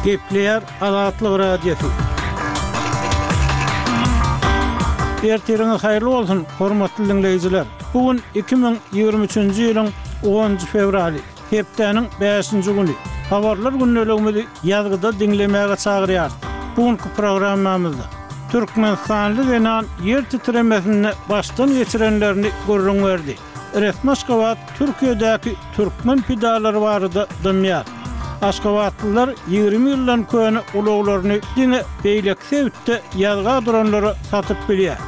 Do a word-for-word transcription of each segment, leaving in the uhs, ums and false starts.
Gepleýär Azatlyk Radiosy. Ertiriňiz haýyrly bolsun, hormatly diňleýjiler! Bu gün iki müň ýigrimi üçünji ýylyň onunjy fewraly, hepdäniň bäşinji güni. Habarlar gündeligimizi ýazgyda diňlemäge çagyrýarys. Bu günki programmamyzda türkmenistanly zenan ýer titremesinde başdan geçirenlerini gürrüň berdi. Resmi Aşgabat Türkiýedäki türkmen pidalary barada dymýar. Aşgabatlylar ýigrimi ýyldan köne ulaglaryny diňe beýleki sebitde ýazga duranlara satyp bilýär.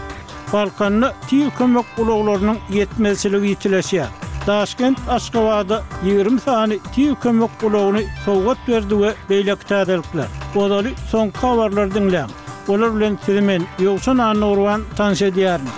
Balkanda tiz kömek ulaglarynyň ýetmezçiligi ýitileşýär. Daşkent Aşgabada ýigrimi sany tiz kömek ulagyny sowgat berdi we beýleki täzelikler. Ozaly soňky habarlary diňläň. Olar bilen sizi men, Ýowşan Annagurban tanyş edýärin.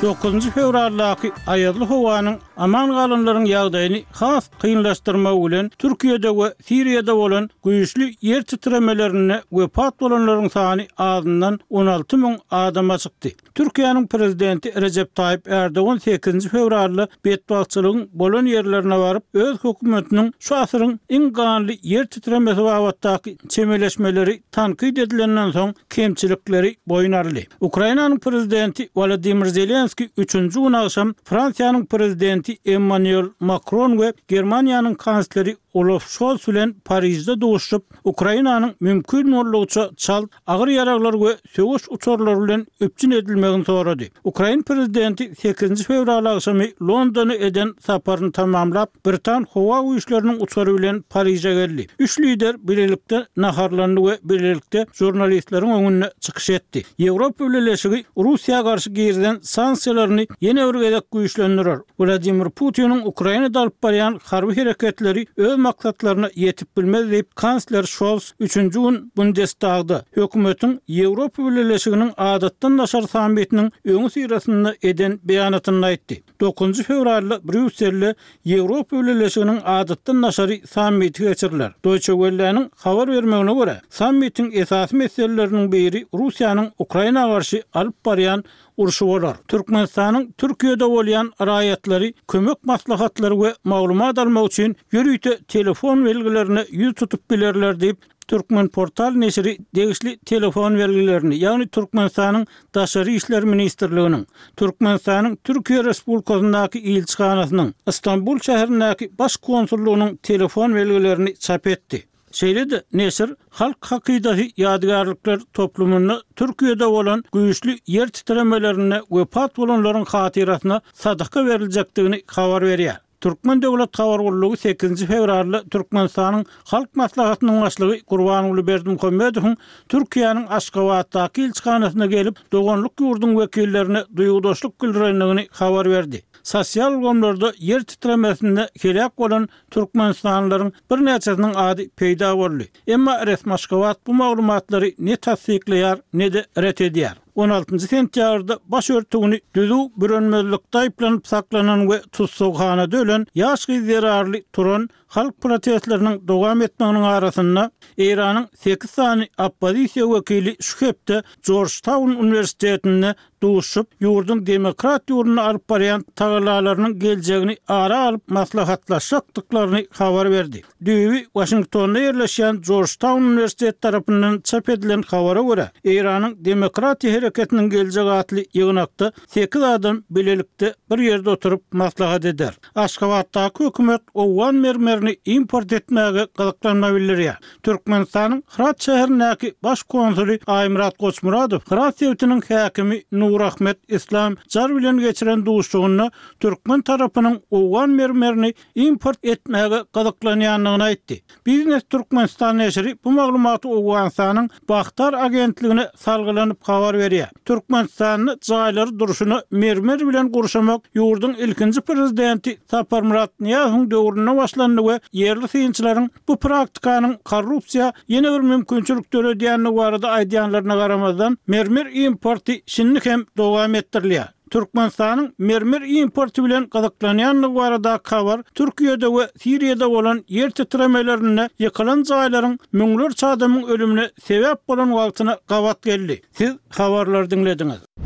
Dokuzynjy fewraldaky aýazly howanyň aman galanlaryň ýagdaýyny has kynlaşdyrmagy bilen Türkiýede we Siriýada bolan güýçli ýer titremelerinde wepat bolanlaryň sany azyndan on alty müň adama çykdy. Türkiýäniň prezidenti Rejep Taýyp Ärdogan sekizinji fewralda betbagtçylygyň bolan ýerlerine baryp, öz hökümetiniň şu asyryň iň ganly ýer titremesi babatdaky çemeleşmeleri tankyt edilenden soň kemçilikleri boýun aldy. Ukrainanyň prezidenti Wolodymyr Zelenskiý üçünji gün agşam Fransiýanyň prezidenti Emmanuel Makron we Germaniýanyň kansleri Olaf Şols bilen Parižde duşuşyp, Ukrainanyň mümkin boldugyça çalt agyr ýaraglar we söweş uçarlary bilen üpjün edilmegini sorady. Ukrain prezidenti sekizinji fewral agşamy Londona eden saparyny tamamlap, britan howa güýçleriniň uçary bilen Pariže geldi. Üç lider bilelikde naharlandy we bilelikde žurnalistleriň öňünde çykyş etdi. Ýewropa Bileleşigi Russiýa garşy girizen sanksiýalaryny ýene bir gezek güýçlendirer. Wladimir Putiniň Ukrainada alyp barýan harby hereketleri öz maksatlaryna ýetip bilmez diýip, kansler Şols üçünji gün Bundestagda, hökümetiň Ýewropa Bileleşiginiň adatdan daşary sammitiniň öňüsyrasynda eden beýanatynda aýtdy. Dokuzynjy fewralda Brýusselde Ýewropa Bileleşiginiň adatdan daşary sammiti geçiriler. Deutsche Welle-niň habar bermegine görä, sammitiň esasy meseleleriniň biri Russiýanyň Ukraina garşy alyp barýan urşy bolar. Türkmenistanyň Türkiýede bolýan raýatlary kömek maslahatlary we maglumat almak üçin ýörite telefon belgilerine ýüz tutup bilerler diýip, Türkmenportal neşiri degişli telefon belgilerini, ýagny Türkmenistanyň Daşary işler ministrliginiň, Türkmenistanyň Türkiýe Respublikasyndaky ilçihanasynyň, Stambul şäherindäki Baş konsullygynyň telefon belgilerini çap etdi. Şeýle-de neşir Halk hakydasy ýadygärlikler toplumynda Türkiýede bolan güýçli ýer titremelerinde wepat bolanlaryň hatyrasyna sadaka beriljekdigini habar berýär. Türkmen döwlet habar gullugy sekizinji fewralda Türkmenistanyň Halk Maslahatynyň Başlygy Gurbanguly Berdimuhamedowyň Türkiýäniň Aşgabatdaky ilçihanasyna gelip, doganlyk ýurduň wekillerine duýgudaşlyk bildirendigini habar berdi. Sosial ulgamlarda ýer titremesinde heläk bolan türkmenistanlylaryň birnäçesiniň ady peýda boldy. Emma resmi Aşgabat bu maglumatlary ne tassyklaýar, ne-de ret edýär. On altynjy sentýabrda baş örtügini düzüw bürenmezlikde aýyplanyp saklanan we tussaghanada ölen ýaş gyz zerarly turan halk protestleriniň dowam etmeginiň arasynda, Eýranyň sekiz sany oppozisiýa wekili şu hepde Jorjtaun uniwersitetinde duşuşyp, ýurduň demokrat ýolunda alyp barýan tagallalarynyň geljegini ara alyp maslahatlaşjakdyklaryny habar berdi. Düýbi Waşingtonda ýerleşýän Jorjtaun uniwersiteti tarapyndan çap edilen habara görä, Eýranyň Demokratiýa hereketiniň geljegi atly ýygnakda sekiz adam bilelikde bir ýerde oturyp maslahat eder. Aşgabatdaky hökümet owgan mermerini import etmäge gyzyklanma bildirýär. Türkmenistanyň Hyrat şäherindäki Baş konsuly Aýmyrat Goçmyradow Hyrat sebitiniň häkimi Nurahmet Islam Jar bilen geçiren duşuşygynda türkmen tarapynyň owgan mermerini import etmäge gyzyklanýandygyny aýtdy. Biznes Türkmenistan neşiri bu maglumaty Owganystanyň Bahtar agentligine salgylanyp habar berýär. Türkmenistanda jaýlary durşuna mermer bilen gurşamak ýurduň ilkinji prezidenti Saparmyrat Nyýazowyň döwründe başlandy we ýerli synçylaryň bu praktikanyň korrupsiýa ýene bir mümkinçilik döredýändigi barada aýdýanlaryna garamazdan, mermer importy şindi hem dowam etdirilýär. Türkmenistanyň mermer importy bilen gyzyklanýandygy baradaky habar Türkiýede we Siriýada bolan ýer titremelerinde ýykylan jaýlaryň müňlerçe adamyň ölümine sebäp bolan wagtyna gabat geldi. Siz habarlary diňlediňiz.